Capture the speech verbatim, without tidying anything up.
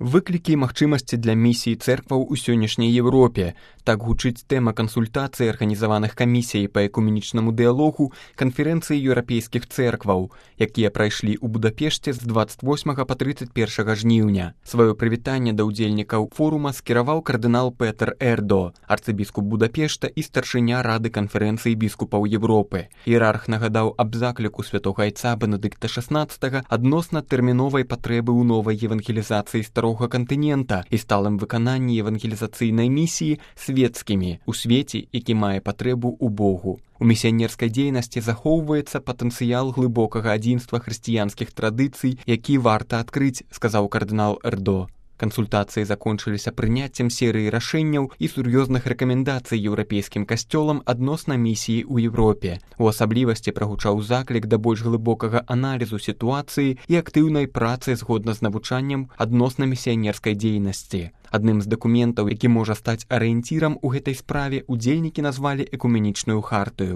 Выклікі і магчымасці для місій церкваў у сённяшняй Еўропе. Так гучыць тэма кансультацый, арганізаваных камісіяй па экуменічнаму дыялогу канферэнцыі еўрапейскіх церкваў, якія прайшлі ў Будапешце з дваццаць восьмага па трыццаць першага жніўня. Сваё прывітанне да ўдзельнікаў форума скіраваў кардынал Петер Эрдо, арцыбіскуп Будапешта і старшыня Рады канферэнцыі біскупаў Еўропы. Іерарх нагадаў аб закліку святога айца Бенедыкта шаснаццатага адносна тэрміновай патрэбы ў новай евангелізацыі старога кантынента і сталым выкананні евангелізацыйнай місіі свецкімі у свеце, які мае патрэбу ў Богу. У місіянерскай дзейнасці захоўваецца патэнцыял глыбокага адзінства хрысціянскіх традыцый, які варта адкрыць, сказаў кардынал Эрдо. Кансультацыі закончыліся прыняццем серыі рашэнняў і сур'ёзных рэкамендацый еўрапейскім касцёлам адносна місіі ў Еўропе. У асаблівасці прагучаў заклік да больш глыбокага аналізу сітуацыі і актыўнай працы згодна з навучаннем адносна місіянерскай дзейнасці. Адным з дакументаў, які можа стаць арыенцірам у гэтай справе, удзельнікі назвалі экуменічную хартыю.